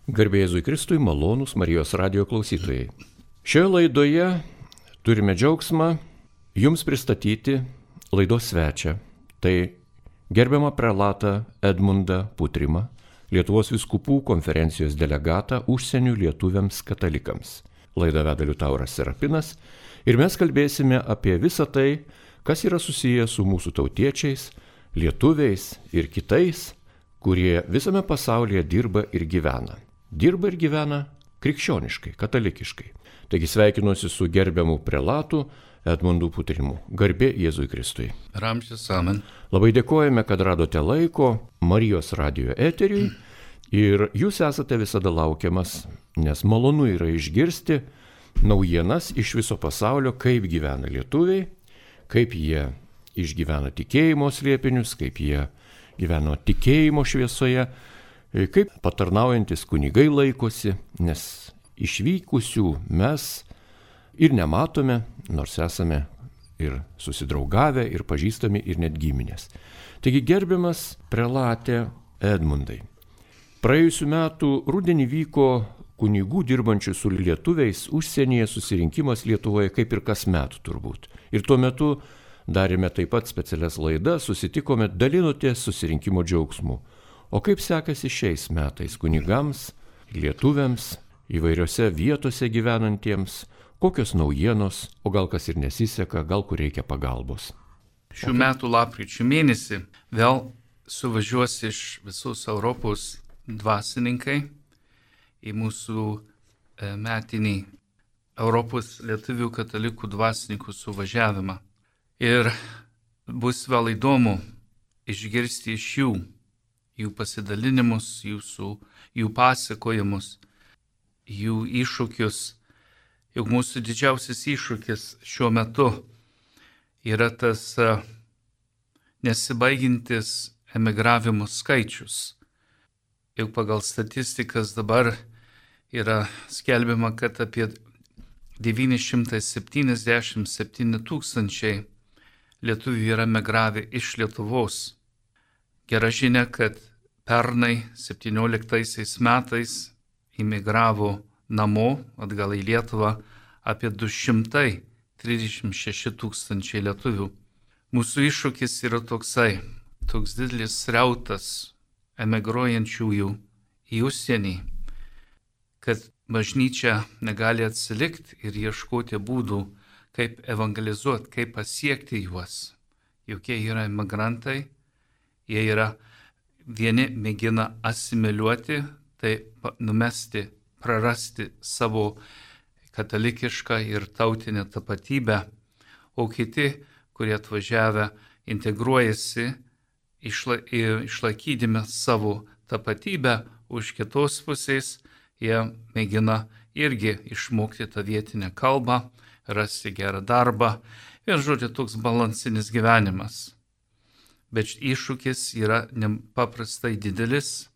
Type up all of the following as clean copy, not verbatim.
Garbė Jėzui Kristui, malonūs Marijos radijo klausytojai. Šioje laidoje turime džiaugsmą jums pristatyti laidos svečią. Tai gerbiamą prelatą Edmundą Putrimą, Lietuvos vyskupų konferencijos delegatą užsienio lietuviams katalikams. Laidą veda Liutauras Serapinas ir mes kalbėsime apie visą tai, kas yra susiję su mūsų tautiečiais, lietuviais ir kitais, kurie visame pasaulyje dirba ir gyvena. Dirba ir gyvena krikščioniškai, katalikiškai. Taigi sveikinuosi su gerbiamu prelatu Edmundu Putrimu. Garbė Jėzui Kristui. Ramžis amen. Labai dėkojame, kad radote laiko Marijos radijo eteriui ir jūs esate visada laukiamas, nes malonu yra išgirsti naujienas iš viso pasaulio, kaip gyvena lietuviai, kaip jie išgyvena tikėjimo slėpinius, kaip jie gyveno tikėjimo šviesoje, kaip patarnaujantis kunigai laikosi, nes išvykusių mes ir nematome, nors esame ir susidraugavę, ir pažįstami, ir net giminės. Taigi gerbiamas prelate Edmundai, praėjusiu metu rudenį vyko kunigų dirbančių su lietuviais užsienyje susirinkimas Lietuvoje kaip ir kasmet turbūt. Ir tuo metu darėme taip pat specialias laidas, susitikome, dalinotės susirinkimo džiaugsmu. O kaip sekasi šiais metais kunigams, lietuviams, įvairiose vietose gyvenantiems, kokios naujienos, o gal kas ir nesiseka, gal kur reikia pagalbos. Šių metų lapkričio mėnesį vėl suvažiuos iš visos Europos dvasininkai į mūsų metinį Europos lietuvių katalikų dvasininkų suvažiavimą. Ir bus vėl įdomu išgirsti iš jų pasidalinimus, jų pasakojimus, jų iššūkius. Juk mūsų didžiausias iššūkis šiuo metu yra tas nesibaigintis emigravimo skaičius. Juk pagal statistikas dabar yra skelbiama, kad apie 977 tūkstančiai lietuvių yra emigravę iš Lietuvos. Gera žinia, kad pernai 17 metais imigravo namo atgal į Lietuvą apie 236 tūkstančiai lietuvių. Mūsų iššūkis yra toks didelis srautas emigruojančiųjų į užsienį, kad bažnyčia negali atsilikti ir ieškoti būdų, kaip evangelizuoti, kaip pasiekti juos. Juk jie yra emigrantai, jie yra vieni mėgina asimiliuoti, tai numesti, prarasti savo katalikišką ir tautinę tapatybę, o kiti, kurie atvažiavę, integruojasi, išlaikydami savo tapatybę, už kitos pusės jie mėgina irgi išmokti tą vietinę kalbą, rasti gerą darbą ir, žodžiu, toks balansinis gyvenimas. Bet iššūkis yra nepaprastai didelis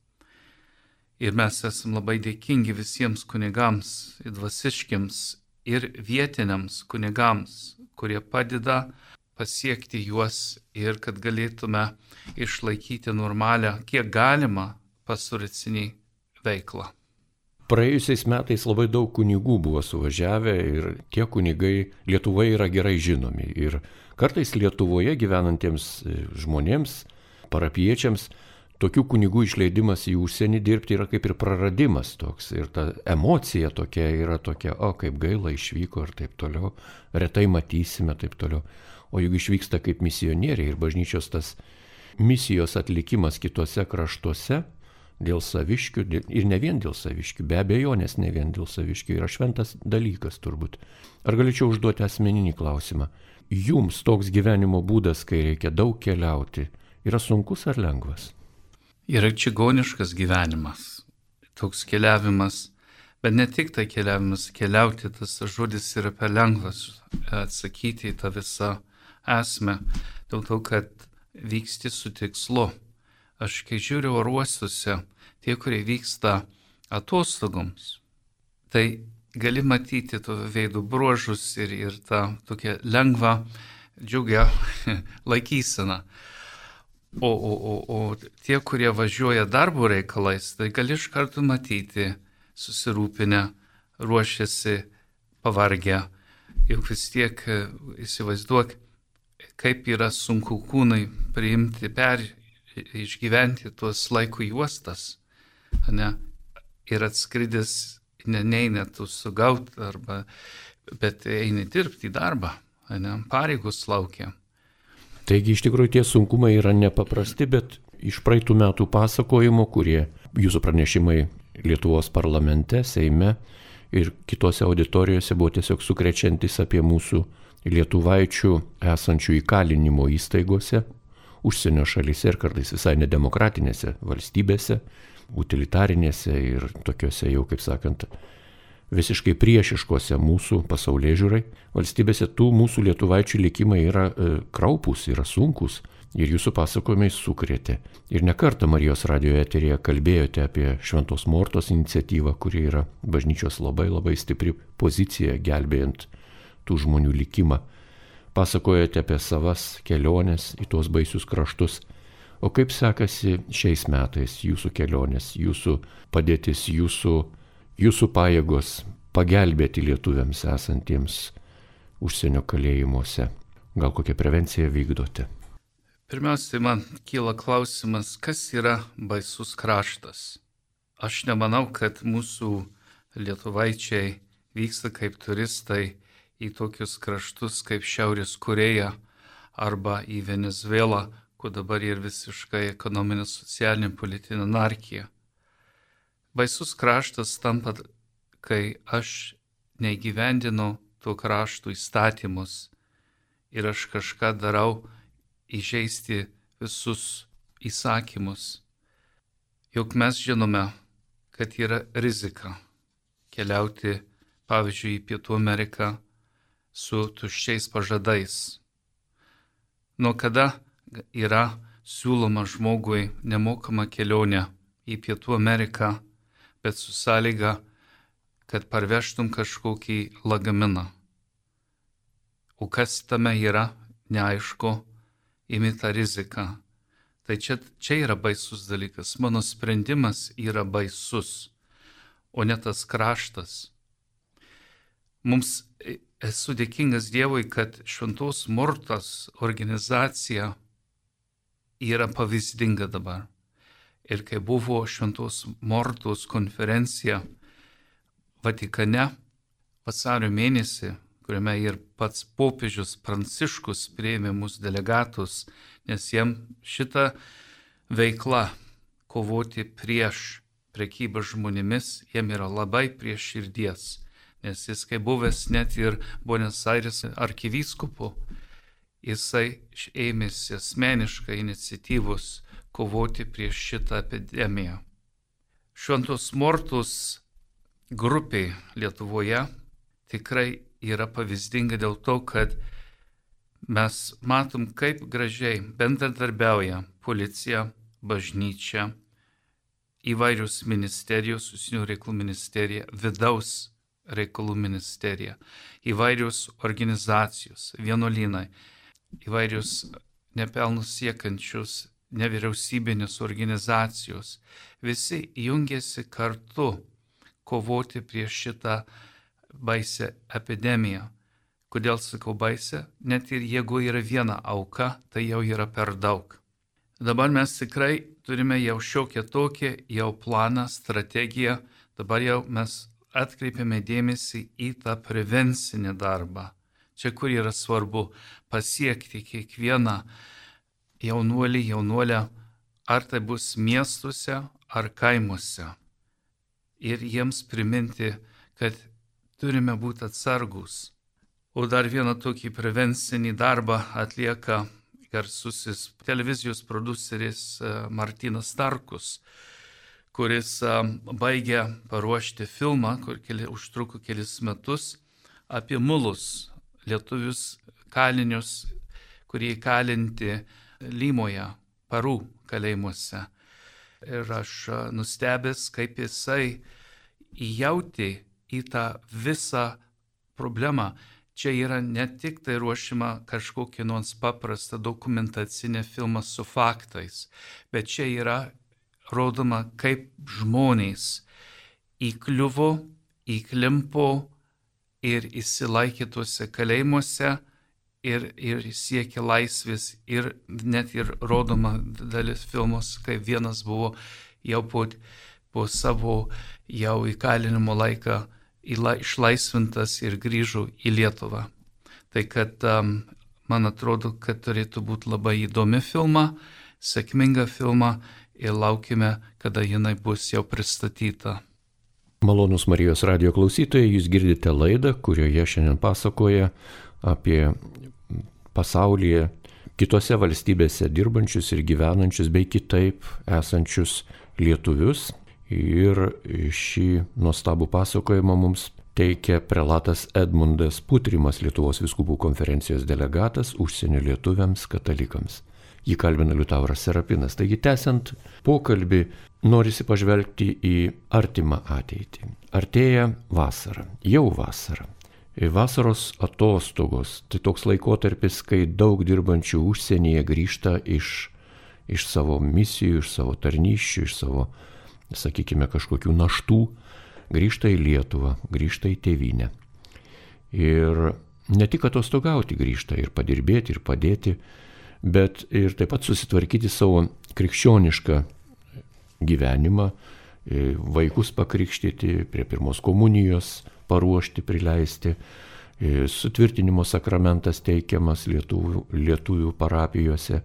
ir mes esame labai dėkingi visiems kunigams, dvasiškiams ir vietiniams kunigams, kurie padeda pasiekti juos ir kad galėtume išlaikyti normalią, kiek galima, pastoracinį veiklą. Praėjusiais metais labai daug kunigų buvo suvažiavę ir tie kunigai Lietuvoje yra gerai žinomi. Ir kartais Lietuvoje gyvenantiems žmonėms, parapiečiams, tokių kunigų išleidimas į užsienį dirbti yra kaip ir praradimas toks. Ir ta emocija tokia yra tokia, kaip gaila išvyko ir taip toliau, retai matysime taip toliau. O juk išvyksta kaip misionieriai ir bažnyčios tas misijos atlikimas kitose kraštuose, dėl saviškių ir ne vien dėl saviškių, be abejonės ne vien dėl saviškių, yra šventas dalykas turbūt. Ar galėčiau užduoti asmeninį klausimą? Jums toks gyvenimo būdas, kai reikia daug keliauti, yra sunkus ar lengvas? Yra čigoniškas gyvenimas, toks keliavimas, bet ne tik tai keliavimas, keliauti, tas žodis yra per lengvas atsakyti į tą visą esmę, dėl to, kad vyksti su tikslu. Aš kai žiūriu oruostuose, tie, kurie vyksta atostogoms, tai gali matyti to veidų bruožus ir tą tokią lengvą, džiugią laikyseną. O tie, kurie važiuoja darbo reikalais, tai gali iš karto matyti, susirūpinę, ruošiasi, pavargę. Juk vis tiek įsivaizduok, kaip yra sunku kūnai priimti, išgyventi tuos laiko juostas, ne? Ir atskridęs neina tu sugaut, bet eini dirbti į darbą, ne? Pareigos laukia. Taigi iš tikrųjų tie sunkumai yra nepaprasti, bet iš praeitų metų pasakojimo, kurie jūsų pranešimai Lietuvos parlamente, Seime ir kitose auditorijose buvo tiesiog sukrečiantis apie mūsų lietuvaičių esančių įkalinimo įstaigose, užsienio šalyse ir kartais visai nedemokratinėse valstybėse, utilitarinėse ir tokiuose jau, kaip sakant, visiškai priešiškose mūsų pasaulėžiūrai valstybėse. Tų mūsų lietuvaičių likimai yra kraupūs, yra sunkus ir jūsų pasakojimai sukrėtė. Ir ne kartą Marijos radijo eteryje kalbėjote apie Šventos Mortos iniciatyvą, kuri yra bažnyčios labai stipri pozicija gelbėjant tų žmonių likimą. Pasakojate apie savas keliones į tuos baisius kraštus. O kaip sekasi šiais metais jūsų kelionės, jūsų padėtis, jūsų pajėgos pagelbėti lietuviams esantiems užsienio kalėjimuose? Gal kokią prevenciją vykdote? Pirmiausia, man kyla klausimas, kas yra baisus kraštas. Aš nemanau, kad mūsų lietuvaičiai vyksta kaip turistai į tokius kraštus kaip Šiaurės Koreja arba į Venezuelą, kur dabar yra visiškai ekonominė, socialinė, politinė anarchija. Baisus kraštas tampa, kai aš neįgyvendinu to krašto įstatymus ir aš kažką darau įžeisti visus įsakymus. Juk mes žinome, kad yra rizika keliauti, pavyzdžiui, į Pietų Ameriką su tuščiais pažadais. Nuo kada yra siūloma žmogui nemokama kelionė į Pietų Ameriką, bet su sąlyga, kad parvežtum kažkokį lagaminą. O kas tame yra, neaišku, imi tą riziką. Tai čia yra baisus dalykas. Mano sprendimas yra baisus, o ne tas kraštas. Esu dėkingas Dievui, kad Šventos Mortos organizacija yra pavyzdinga dabar. Ir kai buvo Šventos Mortos konferencija Vatikane vasario mėnesį, kuriame ir pats popiežius Pranciškus priėmė mūsų delegatus, nes jiem šita veikla kovoti prieš prekybą žmonėmis, jiem yra labai prie širdies. Nes jis, kai buvęs net ir Buenos Aires arkivyskupu, jisai ėmėsi asmeniškai iniciatyvos kovoti prieš šitą epidemiją. Šventos Mortos grupė Lietuvoje tikrai yra pavyzdinga dėl to, kad mes matom, kaip gražiai bendradarbiauja policija, bažnyčia, įvairios ministerijos, užsienio reikalų ministerija, vidaus reikalų ministerija, įvairios organizacijos, vienuolynai, įvairios nepelnus siekiančios nevyriausybinės organizacijos. Visi jungiasi kartu kovoti prieš šitą baisę epidemiją. Kodėl sakau baisę? Net ir jeigu yra viena auka, tai jau yra per daug. Dabar mes tikrai turime jau šiokią tokią jau planą, strategiją. Dabar jau mes atkreipiame dėmesį į tą prevencinį darbą. Čia kur yra svarbu pasiekti kiekvieną jaunuolę, ar tai bus miestuose ar kaimuose. Ir jiems priminti, kad turime būti atsargus. O dar vieną tokį prevencinį darbą atlieka garsusis televizijos produceris Martynas Starkus, kuris baigė paruošti filmą, kur užtruko kelis metus, apie mulus, lietuvius kalinius, kurie įkalinti Limoje, Parų kalėjimuose. Ir aš nustebęs, kaip jisai įjautė į tą visą problemą. čia yra ne tik tai ruošima kažkokia nors paprasta dokumentacinė filma su faktais, bet čia yra rodoma, kaip žmonės įkliuvo, įklimpo ir įsilaikė tuose kalėjimuose ir siekė laisvės ir net ir rodoma dalis filmos, kai vienas buvo jau po savo jau įkalinimo laiką išlaisvintas ir grįžo į Lietuvą. Tai kad man atrodo, kad turėtų būti labai įdomi filma, sėkminga filma ir laukime, kada jinai bus jau pristatyta. Malonūs Marijos radijo klausytojai, jūs girdite laidą, kurioje šiandien pasakoja apie pasaulyje, kitose valstybėse dirbančius ir gyvenančius bei kitaip esančius lietuvius. Ir šį nuostabų pasakojimą mums teikia prelatas Edmundas Putrimas, Lietuvos vyskupų konferencijos delegatas užsienio lietuviams katalikams. Jį kalbina Liutauras Serapinas. Taigi, tęsiant pokalbį, norisi pažvelgti į artimą ateitį. Artėja vasara, jau vasara. Vasaros atostogos, tai toks laikotarpis, kai daug dirbančių užsienyje grįžta iš savo misijų, iš savo tarnysčių, iš savo, sakykime, kažkokių naštų, grįžta į Lietuvą, grįžta į tėvynę. Ir ne tik atostogauti grįžta, ir padirbėti, ir padėti, bet ir taip pat susitvarkyti savo krikščionišką gyvenimą, vaikus pakrikštyti, prie pirmos komunijos paruošti, prileisti, sutvirtinimo sakramentas teikiamas lietuvių parapijose.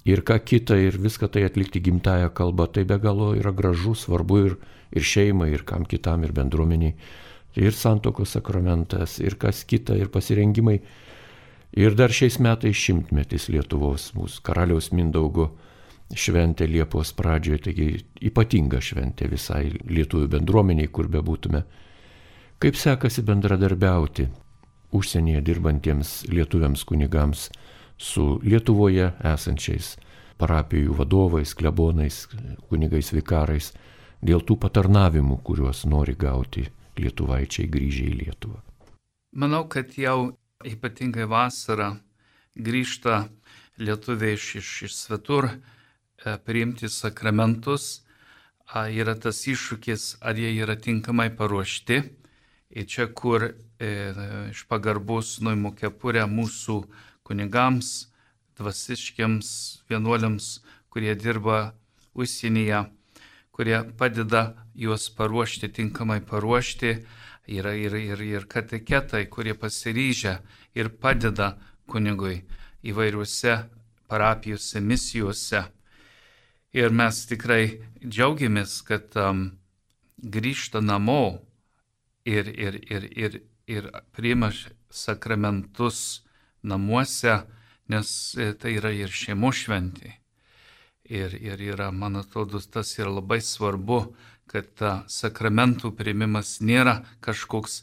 Ir ką kita, ir viską tai atlikti gimtąją kalbą, tai be galo yra gražu, svarbu ir šeimai, ir kam kitam, ir bendruomeniai. Ir santuokos sakramentas, ir kas kita, ir pasirengimai. Ir dar šiais metais 100-metis Lietuvos, mūsų karaliaus Mindaugo šventė Liepos pradžioje, taigi ypatinga šventė visai lietuvių bendruomeniai, kur bebūtume. Kaip sekasi bendradarbiauti užsienyje dirbantiems lietuviams kunigams su Lietuvoje esančiais parapijų vadovais, klebonais, kunigais vikarais, dėl tų patarnavimų, kuriuos nori gauti lietuvaičiai grįžę į Lietuvą? Manau, kad jau ypatingai vasarą grįžta lietuviai iš svetur priimti sakramentus. Yra tas iššūkis, ar jie yra tinkamai paruošti. Ir čia, kur iš pagarbos nuimu kepurę mūsų kunigams, dvasiškiams vienuoliams, kurie dirba užsienyje, kurie padeda juos paruošti, tinkamai paruošti. Yra ir kateketai, kurie pasiryžę ir padeda kunigui įvairiuose parapijose, misijose. Ir mes tikrai džiaugiamės, kad grįžta namo ir priima sakramentus namuose, nes tai yra ir šeimos šventė. Ir yra, man atrodo, tas yra labai svarbu, kad sakramentų priimimas nėra kažkoks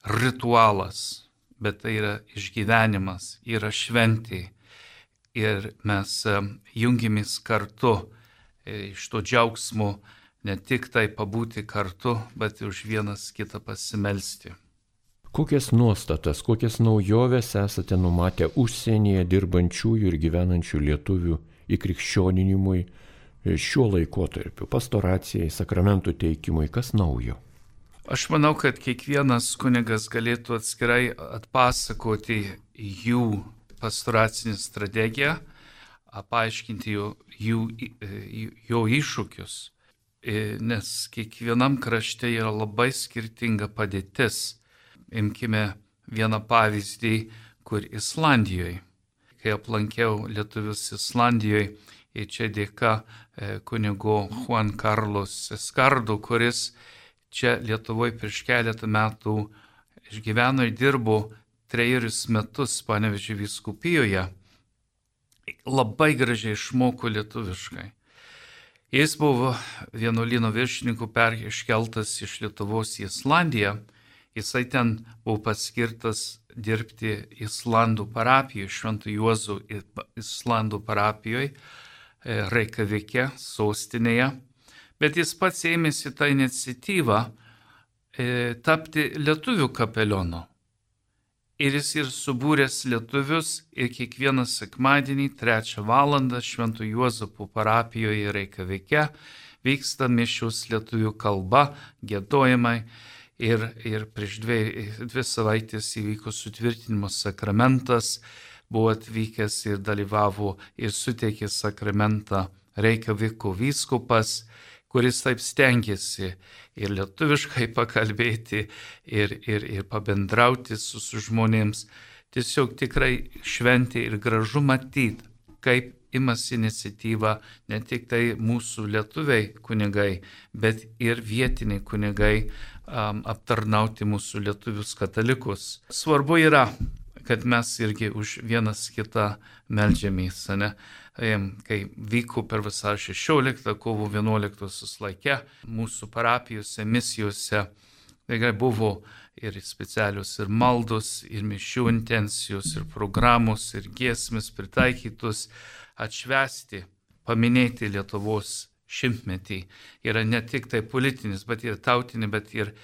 ritualas, bet tai yra išgyvenimas, yra šventė. Ir mes jungiamės kartu iš to džiaugsmo, ne tik tai pabūti kartu, bet už vienas kitą pasimelsti. Kokias nuostatas, kokias naujoves esate numatę užsienyje dirbančiųjų ir gyvenančių lietuvių įkrikščioninimui šiuo laikotarpiu, pastoracijai, sakramentų teikimui, kas naujo? Aš manau, kad kiekvienas kunigas galėtų atskirai atpasakoti jų pastoracinę strategiją, paaiškinti jo iššūkius, nes kiekvienam krašte yra labai skirtinga padėtis. Imkime vieną pavyzdį, kur Islandijoje. Kai aplankiau lietuvius Islandijoje, ir čia dėka kunigo Juan Carlos Escardo, kuris čia Lietuvoje prieš keletą metų išgyveno ir dirbo 3 metus Panevėžio vyskupijoje, labai gražiai išmoko lietuviškai. Jis buvo vienuolyno viršininku iškeltas iš Lietuvos į Islandiją. Jisai ten buvo paskirtas dirbti Islandų parapijoje, Švento Juozo Islandų parapijoje, Reikjavike, sostinėje. Bet jis pats ėmėsi tą iniciatyvą tapti lietuvių kapelionu. Ir jis ir subūręs lietuvius ir kiekvieną sekmadienį 3 valandą Švento Juozapo parapijoje Reikjavike vyksta mišios lietuvių kalba, giedojimai ir prieš 2 savaitės įvyko sutvirtinimo sakramentas, buvo atvykęs ir dalyvavo ir suteikė sakramentą Reikjaviko vyskupas, kuris taip stengiasi ir lietuviškai pakalbėti, ir pabendrauti su žmonėms. Tiesiog tikrai šventė ir gražu matyti, kaip imasi iniciatyva ne tik tai mūsų lietuviai kunigai, bet ir vietiniai kunigai aptarnauti mūsų lietuvius katalikus. Svarbu yra, kad mes irgi už vienas kitą meldžiamės, ne? Kai vyko per vasario 16, kovo 11 laikę mūsų parapijose, misijose, tai buvo ir specialios ir maldos, ir mišių intencijos, ir programos, ir giesmės pritaikytos atšvęsti, paminėti Lietuvos šimtmetį. Yra ne tik tai politinis, bet ir tautinį, bet ir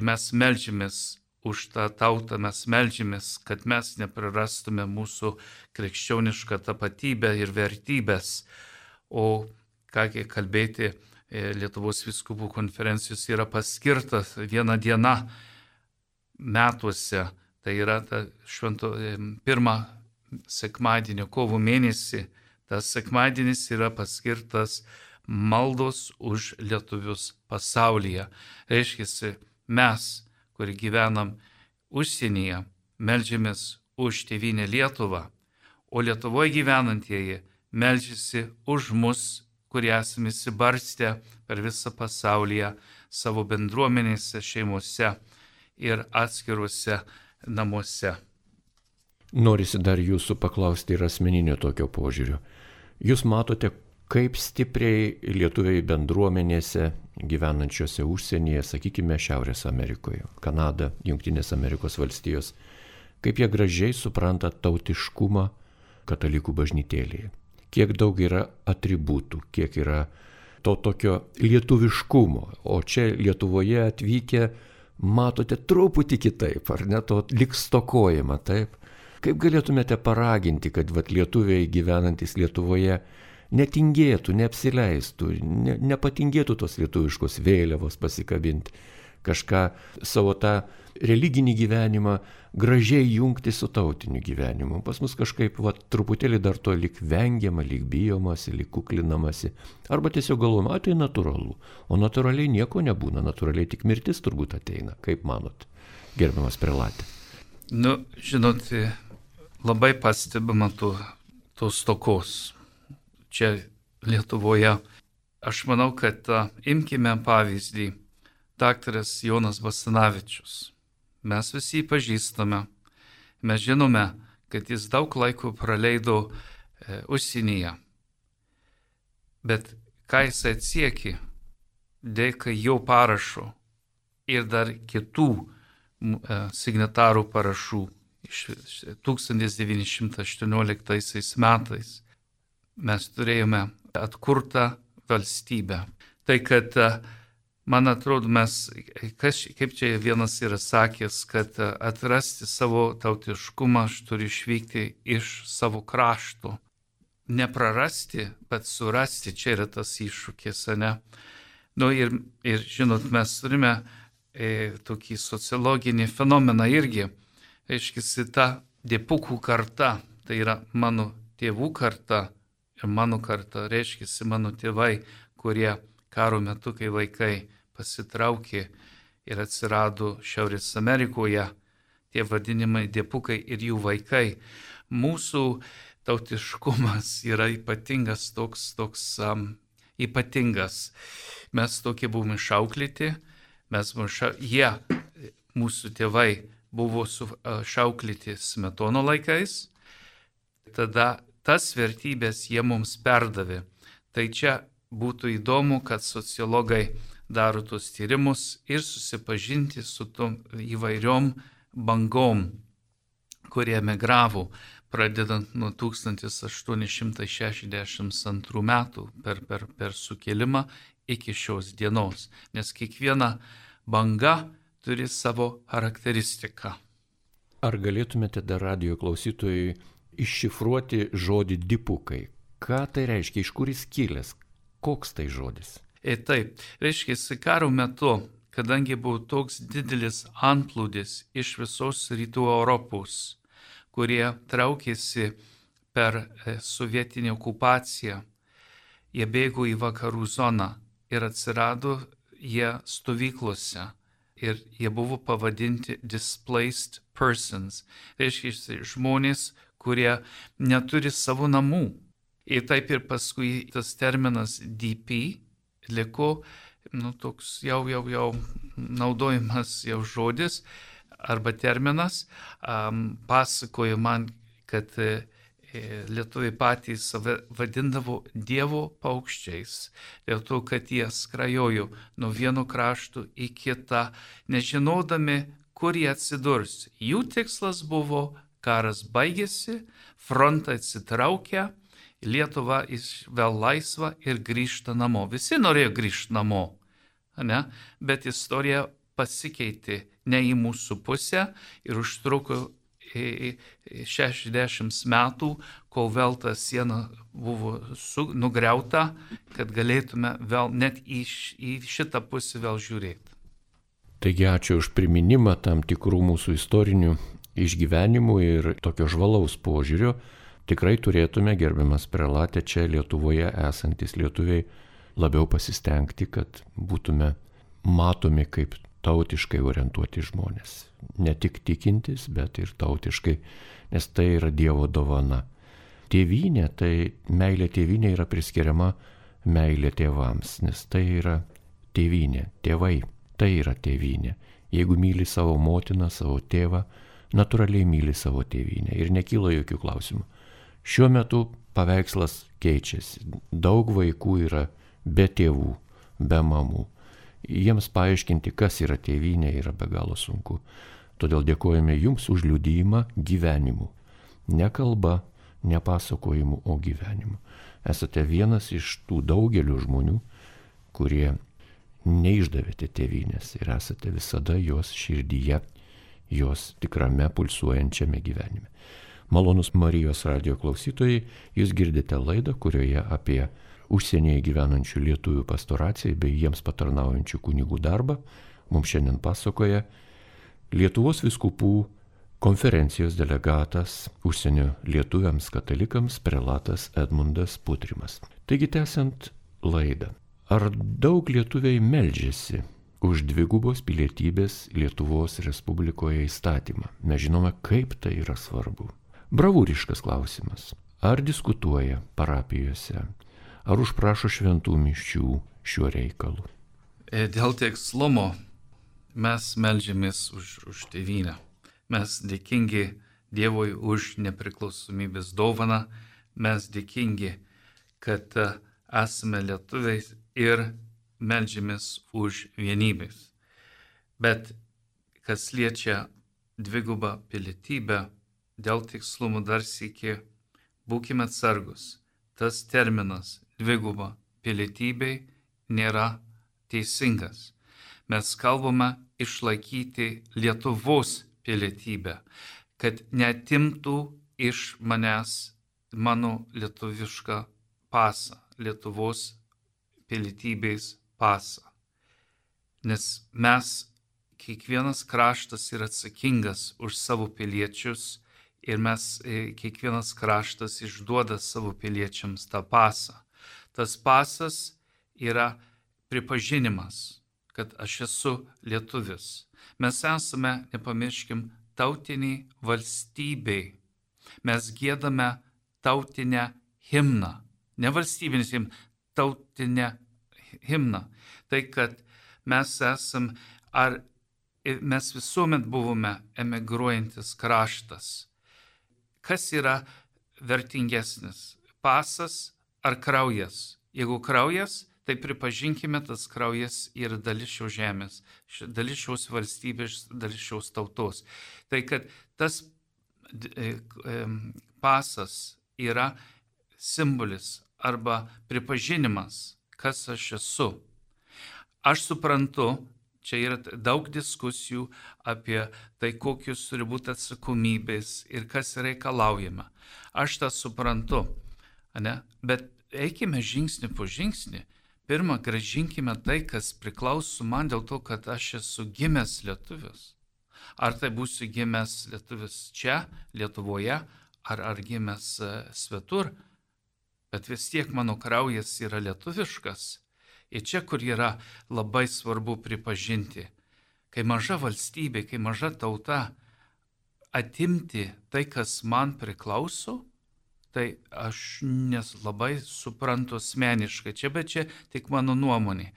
mes meldžiamės už tą tautą, mes meldžiamės, kad mes neprarastume mūsų krikščionišką tapatybę ir vertybės. O kągi kalbėti, Lietuvos vyskupų konferencijos yra paskirtas 1 diena metuose, tai yra pirmą sekmadienį kovo mėnesį, tas sekmadienis yra paskirtas maldos už lietuvius pasaulyje. Reiškia, mes, kuri gyvenam užsienyje, meldžiamės už tėvynę Lietuvą, o Lietuvoje gyvenantieji meldžiasi už mus, kurie esame įsibarstę per visą pasaulyje savo bendruomenėse, šeimose ir atskiruose namuose. Norisi dar jūsų paklausti ir asmeninio tokio požiūrio. Jūs matote, kaip stipriai lietuviai bendruomenėse gyvenančiose užsienyje, sakykime, Šiaurės Amerikoje, Kanada, Jungtinės Amerikos valstijos, kaip jie gražiai supranta tautiškumą katalikų bažnytėlėje. Kiek daug yra atributų, kiek yra to tokio lietuviškumo, o čia Lietuvoje atvykę matote truputį kitaip, ar ne, to lyg stokojama, taip? Kaip galėtumėte paraginti, kad lietuviai gyvenantis Lietuvoje netingėtų, neapsileistų, nepatingėtų tos lietuviškos vėliavos pasikabinti, kažką savo tą religinį gyvenimą gražiai jungti su tautiniu gyvenimu. Pas mus kažkaip truputėlį dar to lyg vengiama, lyg bijomasi, lyg kuklinamasi, arba tiesiog galvojama, tai natūralu, o natūraliai nieko nebūna, natūraliai tik mirtis turbūt ateina, kaip manot, gerbiamas prelatė? Žinot, labai pastebima tos stokos. Čia Lietuvoje. Aš manau, kad imkime pavyzdį daktaras Jonas Basanavičius. Mes visi pažįstame. Mes žinome, kad jis daug laiko praleido užsienyje. Bet ką jis atsiekė dėka jo parašo ir dar kitų signatarų parašų iš 1918 metais. Mes turėjome atkurtą valstybę. Tai kad, man atrodo, kaip čia vienas yra sakęs, kad atrasti savo tautiškumą aš turiu išvykti iš savo krašto. Neprarasti, bet surasti, čia yra tas iššūkis, ne? Ir žinot, mes turime tokį sociologinį fenomeną irgi. Reiškia, ta dipukų karta, tai yra mano tėvų karta, ir mano karta, reiškia, mano tėvai, kurie karo metu, kai vaikai pasitraukė ir atsirado Šiaurės Amerikoje, tie vadinimai diepukai ir jų vaikai. Mūsų tautiškumas yra ypatingas, toks ypatingas. Mes tokie buvome išauklėti, mūsų tėvai buvo šauklėti Smetono laikais, tada tas vertybės jie mums perdavė. Tai čia būtų įdomu, kad sociologai daro tos tyrimus ir susipažinti su tom įvairiom bangom, kurie emigravo, pradedant nuo 1862 metų per sukilimą iki šios dienos. Nes kiekviena banga turi savo charakteristiką. Ar galėtumėte dar radio klausytojui iššifruoti žodį dipukai? Ką tai reiškia, iš kur jis kilęs, koks tai žodis? Taip, reiškia, karo metu, kadangi buvo toks didelis antplūdis iš visos rytų Europos, kurie traukėsi per sovietinę okupaciją, jie bėgo į vakarų zoną ir atsirado jie stovyklose ir jie buvo pavadinti displaced persons, reiškia žmonės, kurie neturi savo namų. Ir taip ir paskui tas terminas DP liko, toks jau naudojimas jau žodis arba terminas, pasakojo man, kad lietuviai patys save vadindavo dievo paukščiais, dėl to, kad jie skrajojo nuo vieno krašto į kitą, nežinodami, kur jie atsidurs. Jų tikslas buvo, karas baigėsi, frontai atsitraukia, Lietuva vėl laisva ir grįžta namo. Visi norėjo grįžti namo, ne? Bet istorija pasikeitė ne į mūsų pusę ir užtruko 60 metų, kol vėl ta siena buvo nugriauta, kad galėtume vėl net į šitą pusę vėl žiūrėti. Taigi ačiū už priminimą tam tikrų mūsų istorinių išgyvenimų ir tokio žvalaus požiūrio. Tikrai turėtume, gerbiamas prelate, čia Lietuvoje esantis lietuviai labiau pasistengti, kad būtume matomi kaip tautiškai orientuoti žmonės. Ne tik tikintis, bet ir tautiškai, nes tai yra Dievo dovana. Tėvynė, tai meilė tėvynė yra priskiriama meilė tėvams, nes tai yra tėvynė, tėvai, tai yra tėvynė. Jeigu myli savo motiną, savo tėvą, natūraliai myli savo tėvynę ir nekyla jokių klausimų. Šiuo metu paveikslas keičiasi. Daug vaikų yra be tėvų, be mamų. Jiems paaiškinti, kas yra tėvynė, yra be galo sunku. Todėl dėkojame Jums už liudijimą gyvenimu. Ne kalba, ne pasakojimu, o gyvenimu. Esate vienas iš tų daugelio žmonių, kurie neišdavėte tėvynės ir esate visada jos širdyje, jos tikrame pulsuojančiame gyvenime. Malonus Marijos radijo klausytojai, jūs girdite laidą, kurioje apie užsienyje gyvenančių lietuvių pastoraciją bei jiems patarnaujančių kunigų darbą mums šiandien pasakoja Lietuvos vyskupų konferencijos delegatas užsienio lietuviams katalikams prelatas Edmundas Putrimas. Taigi tęsiant laidą, ar daug lietuviai meldžiasi už dvigubos pilietybės Lietuvos Respublikoje įstatymą? Mes žinome, kaip tai yra svarbu. Bravūriškas klausimas. Ar diskutuoja parapijose, ar užprašo šventų mišių šiuo reikalu? Dėl tikslumo mes meldžiamės už tėvynę. Mes dėkingi Dievui už nepriklausomybės dovaną, mes dėkingi, kad esame lietuviai ir meldžiamės už vienybės. Bet kas liečia dvigubą pilietybę, dėl tikslumo dar sykį būkime atsargus. Tas terminas dviguba pilietybė nėra teisingas. Mes kalbame išlaikyti Lietuvos pilietybę, kad neatimtų iš manęs mano lietuvišką pasą, Lietuvos pilietybės pasą. Nes mes, kiekvienas kraštas yra atsakingas už savo piliečius, ir mes kiekvienas kraštas išduoda savo piliečiams tą pasą. Tas pasas yra pripažinimas, kad aš esu lietuvis. Mes esame, nepamirškim, tautiniai valstybei. Mes giedame tautinę himną. Ne valstybinis himną, tautinę himną. Tai, kad mes esam, mes visuomet buvome emigruojantis kraštas. Kas yra vertingesnis? Pasas ar kraujas? Jeigu kraujas, tai pripažinkime, tas kraujas yra dalis šios žemės, dalis šios valstybės, dalis šios tautos. Tai kad tas pasas yra simbolis arba pripažinimas, kas aš esu. Aš suprantu, čia yra daug diskusijų apie tai, kokius turi būti atsakomybės ir kas reikalaujama. Aš tą suprantu, ne? Bet eikime žingsnį po žingsnį. Pirma, grąžinkime tai, kas priklauso man dėl to, kad aš esu gimęs lietuvis. Ar tai būsiu gimęs lietuvis čia, Lietuvoje, ar gimęs svetur, bet vis tiek mano kraujas yra lietuviškas. Ir čia, kur yra labai svarbu pripažinti, kai maža valstybė, kai maža tauta atimti tai, kas man priklauso, tai aš labai suprantu asmeniškai. Bet čia tik mano nuomonė.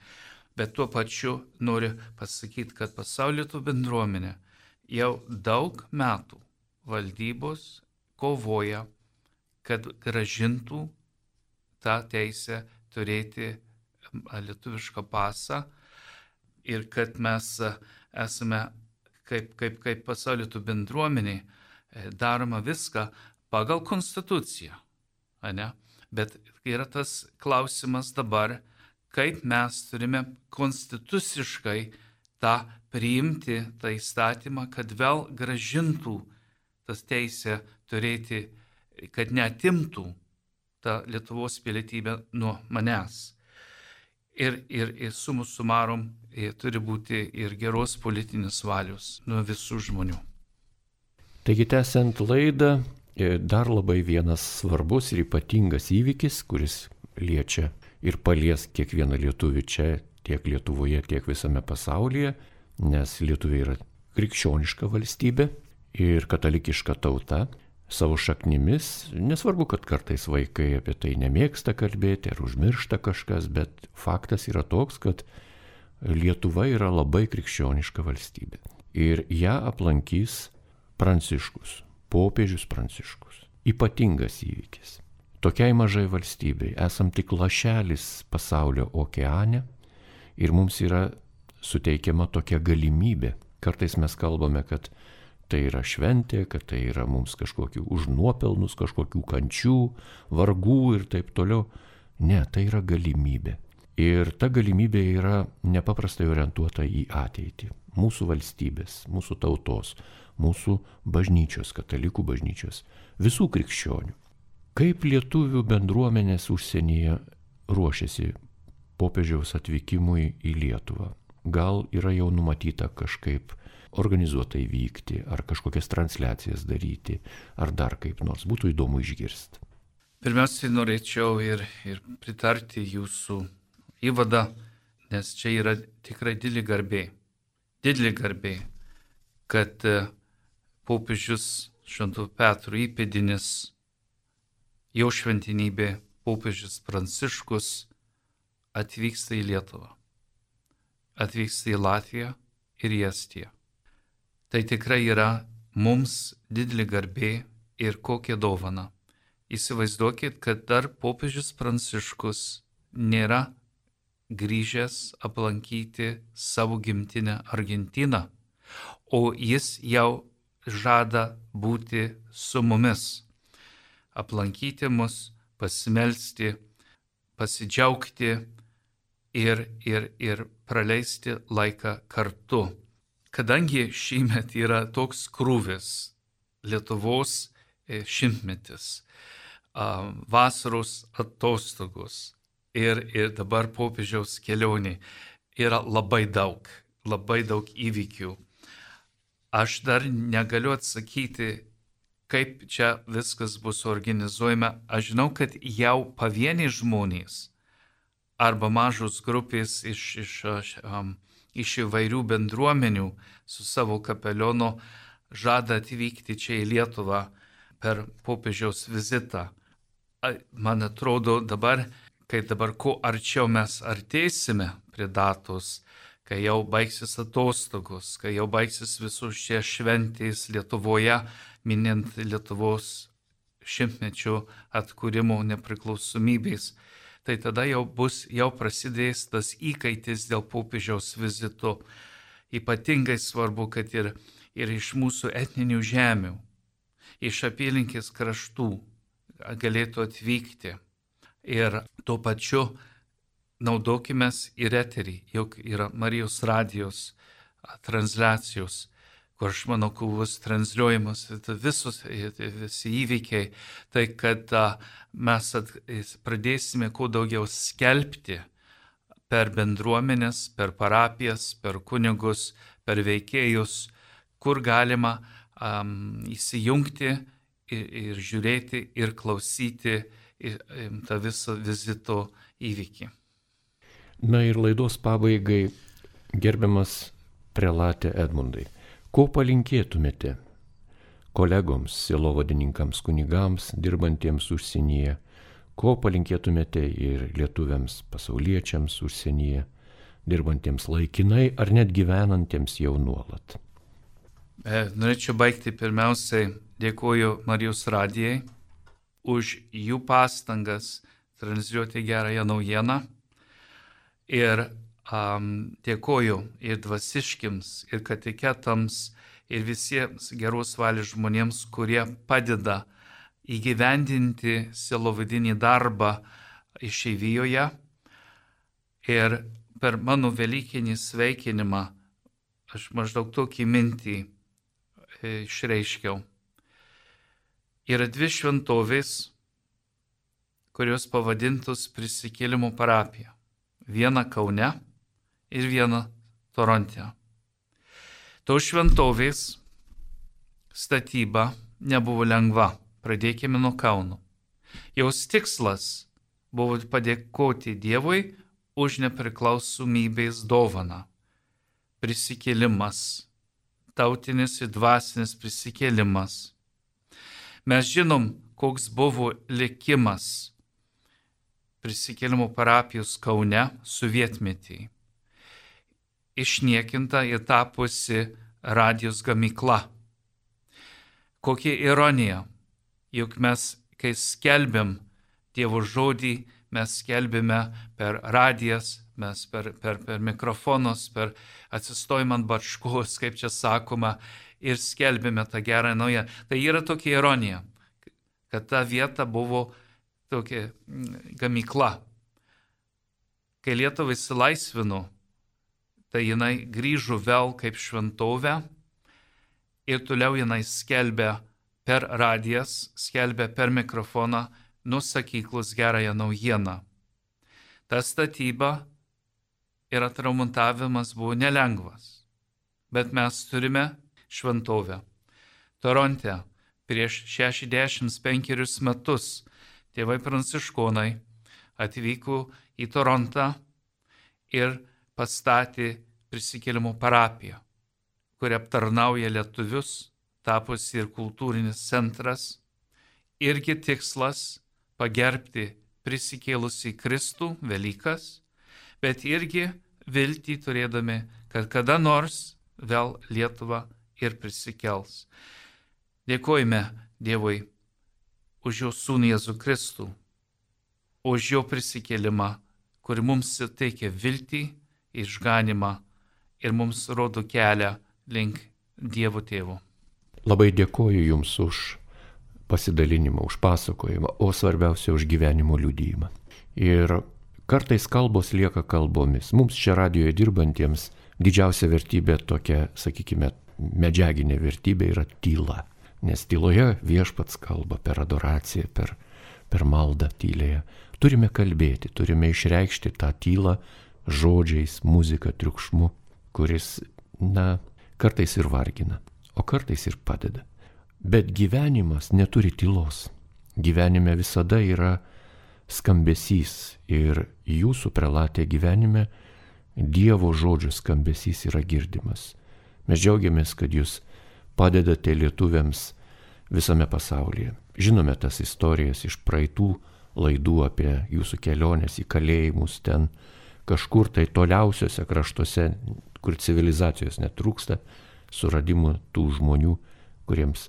Bet tuo pačiu noriu pasakyti, kad pasaulio bendruomenė jau daug metų valdybos kovoja, kad gražintų tą teisę turėti lietuvišką pasą ir kad mes esame kaip pasaulio bendruomenė daroma viską pagal konstituciją. Ne? Bet yra tas klausimas dabar, kaip mes turime konstituciškai tą priimti, tą įstatymą, kad vėl gražintų tas teisę turėti, kad neatimtų tą Lietuvos pilietybę nuo manęs. Ir summa summarum turi būti ir geros politinės valios nuo visų žmonių. Taigi, tęsiant laidą, dar labai vienas svarbus ir ypatingas įvykis, kuris liečia ir palies kiekvieną lietuvį čia, tiek Lietuvoje, tiek visame pasaulyje, nes lietuviai yra krikščioniška valstybė ir katalikiška tauta. Savo šaknimis, nesvarbu, kad kartais vaikai apie tai nemėgsta kalbėti ar užmiršta kažkas, bet faktas yra toks, kad Lietuva yra labai krikščioniška valstybė. Ir ją aplankys Pranciškus, popiežius Pranciškus. Ypatingas įvykis. Tokiai mažai valstybei esam tik lašelis pasaulio okeane ir mums yra suteikiama tokia galimybė. Kartais mes kalbame, kad tai yra šventė, kad tai yra mums kažkokių užnuopelnus, kažkokių kančių, vargų ir taip toliau. Ne, tai yra galimybė. Ir ta galimybė yra nepaprastai orientuota į ateitį. Mūsų valstybės, mūsų tautos, mūsų bažnyčios, katalikų bažnyčios, visų krikščionių. Kaip lietuvių bendruomenės užsienyje ruošiasi popiežiaus atvykimui į Lietuvą? Gal yra jau numatyta kažkaip organizuotai vykti, ar kažkokias transliacijas daryti, ar dar kaip nors. Būtų įdomu išgirsti. Pirmiausiai norėčiau ir pritarti jūsų įvadą, nes čia yra tikrai didelė garbė, kad popiežius Švento Petro įpėdinis, jo šventenybė popiežius Pranciškus atvyksta į Lietuvą, atvyksta į Latviją ir į Estiją. Tai tikrai yra mums didelė garbė ir kokia dovana. Įsivaizduokit, kad dar popiežius Pranciškus nėra grįžęs aplankyti savo gimtinę Argentiną, o jis jau žada būti su mumis, aplankyti mus, pasimelsti, pasidžiaugti ir praleisti laiką kartu. Kadangi šįmet yra toks krūvis, Lietuvos šimtmetis, vasaros atostogos ir dabar popiežiaus kelionė, yra labai daug įvykių. Aš dar negaliu atsakyti, kaip čia viskas bus organizuojama. Aš žinau, kad jau pavieniai žmonės arba mažos grupės iš įvairių bendruomenių su savo kapelionu žada atvykti čia į Lietuvą per popiežiaus vizitą. Man atrodo dabar kuo arčiau mes artėsime prie datos, kai jau baigsis atostogos, kai jau baigsis visus šie šventės Lietuvoje, minint Lietuvos šimtmečio atkūrimo nepriklausomybės, tai tada jau prasidės tas įkaitis dėl popiežiaus vizito. Ypatingai svarbu, kad ir iš mūsų etninių žemių, iš apylinkės kraštų galėtų atvykti. Ir tuo pačiu naudokimės ir eterį, juk yra Marijos radijos transliacijos, kur aš manau, kur bus transliuojamas visi įvykiai, tai kad mes pradėsime kuo daugiau skelbti per bendruomenės, per parapijas, per kunigus, per veikėjus, kur galima įsijungti ir žiūrėti ir klausyti tą visą vizito įvykį. Na ir laidos pabaigai, gerbiamas prelate Edmundai, ko palinkėtumėte kolegoms, sielovadininkams, kunigams, dirbantiems užsienyje, ko palinkėtumėte ir lietuviams, pasauliečiams užsienyje, dirbantiems laikinai ar net gyvenantiems jau nuolat? Norėčiau baigti pirmiausiai, dėkoju Marijos radijai už jų pastangas transliuoti gerąją naujieną ir dėkoju ir dvasiškiams, ir kateketams, ir visiems geros valios žmonėms, kurie padeda įgyvendinti sielovadinį darbą išeivijoje. Ir per mano velykinį sveikinimą aš maždaug tokį mintį išreiškiau. Yra dvi šventovės, kurios pavadintos Prisikėlimo parapija. Viena Kaune ir viena Toronte. Tos šventovės statyba nebuvo lengva. Pradėkime nuo Kauno. Jos tikslas buvo padėkoti Dievui už nepriklausomybės dovaną. Prisikėlimas, tautinis ir dvasinis prisikėlimas. Mes žinom, koks buvo likimas Prisikėlimo parapijos Kaune sovietmetį. Išniekinta ir tapusi radijos gamykla. Kokia ironija, juk mes, kai skelbiam Dievo žodį, mes skelbime per radijas, mes per mikrofonus, per atsistojimą ant bačkos, kaip čia sakoma, ir skelbime tą gerą naują. Tai yra tokia ironija, kad ta vieta buvo tokia gamykla. Kai Lietuva įsilaisvino, tai jinai grįžo vėl kaip šventovė ir toliau jinai skelbė per radijas, skelbė per mikrofoną nuo sakyklos gerąją naujieną. Ta statyba ir atremontavimas buvo nelengvas, bet mes turime šventovę. Toronte prieš 65 metus tėvai pranciškonai atvyko į Torontą ir pastatė Prisikėlimo parapiją, kuri aptarnauja lietuvius, tapusi ir kultūrinis centras, irgi tikslas pagerbti prisikėlusį Kristų, Velykas, bet irgi viltį turėdami, kad kada nors vėl Lietuva ir prisikels. Dėkojame Dievui už jo sūnų Jėzų Kristų, už jo prisikėlimą, kuri mums teikia viltį, išganimą ir mums rodo kelią link Dievo Tėvo. Labai dėkoju Jums už pasidalinimą, už pasakojimą, o svarbiausia už gyvenimo liudijimą. Ir kartais kalbos lieka kalbomis. Mums čia radijoje dirbantiems didžiausia vertybė tokia, sakykime, medžiaginė vertybė yra tyla. Nes tyloje viešpats kalba per adoraciją, per maldą tylėje. Turime kalbėti, turime išreikšti tą tylą žodžiais, muzika, triukšmu, kuris, kartais ir vargina, o kartais ir padeda. Bet gyvenimas neturi tylos. Gyvenime visada yra skambesys ir jūsų prelatė gyvenime Dievo žodžio skambesys yra girdimas. Mes džiaugiamės, kad jūs padedate lietuviams visame pasaulyje. Žinome tas istorijas iš praeitų laidų apie jūsų keliones į kalėjimus ten kažkur tai toliausiuose kraštuose, kur civilizacijos netrūksta, suradimų tų žmonių, kuriems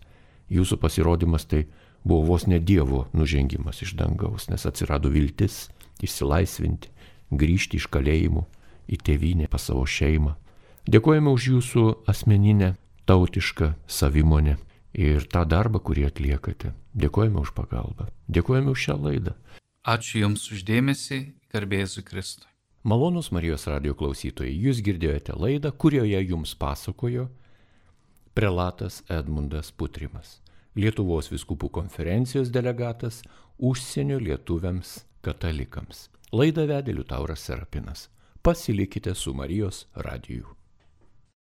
jūsų pasirodymas tai buvo vos ne Dievo nužengimas iš dangaus, nes atsirado viltis išsilaisvinti, grįžti iš kalėjimų į tėvynę, pas savo šeimą. Dėkojame už jūsų asmeninę, tautišką savimonę ir tą darbą, kurį atliekate. Dėkojame už pagalbą. Dėkojame už šią laidą. Ačiū Jums už dėmesį, garbė Jėzui Kristui. Malonūs Marijos radijo klausytojai, jūs girdėjote laidą, kurioje jums pasakojo prelatas Edmundas Putrimas, Lietuvos vyskupų konferencijos delegatas užsienio lietuviams katalikams. Laidą vedė Liutauras Serapinas. Pasilikite su Marijos radiju.